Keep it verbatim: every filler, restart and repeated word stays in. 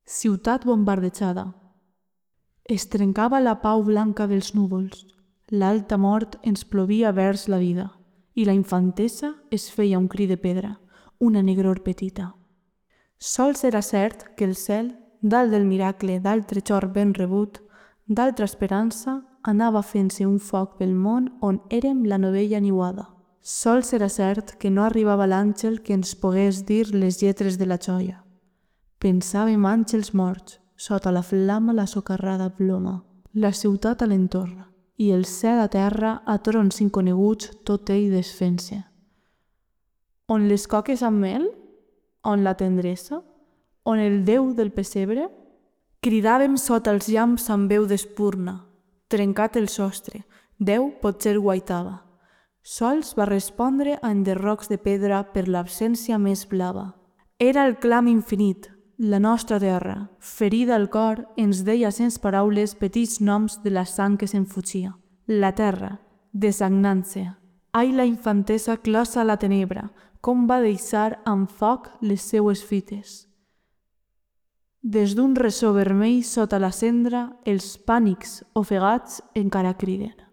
Ciutat bombardejada. Es trencava la pau blanca dels núvols, l'alta mort ens plovia vers la vida, i la infantesa es feia un cri de pedra, una negror petita. Sols era cert que el cel, dalt del miracle d'altre xor ben rebut, d'altra esperança, anava fent-se un foc pel món on érem la novella niuada. Sols era cert que no arribava l'àngel que ens pogués dir les lletres de la joia. Pensàvem àngels morts, sota la flama la socarrada ploma, la ciutat a l'entorn, i el cel a terra a trons inconeguts tot ell desfent-se. On les coques amb mel? On la tendresa? On el Déu del pessebre? Cridàvem sota els llamps amb veu d'espurna. Trencat el sostre, Déu potser guaitava. Sols va respondre a enderrocs de pedra per l'absència més blava. Era el clam infinit, la nostra terra, ferida al cor, ens deia sense paraules petits noms de la sang que se'n fugia. La terra, desagnant-se. Ai, la infantesa closa a la tenebra, com va deixar amb foc les seues fites. Des d'un ressò vermell sota la cendra, els pànics ofegats encara criden.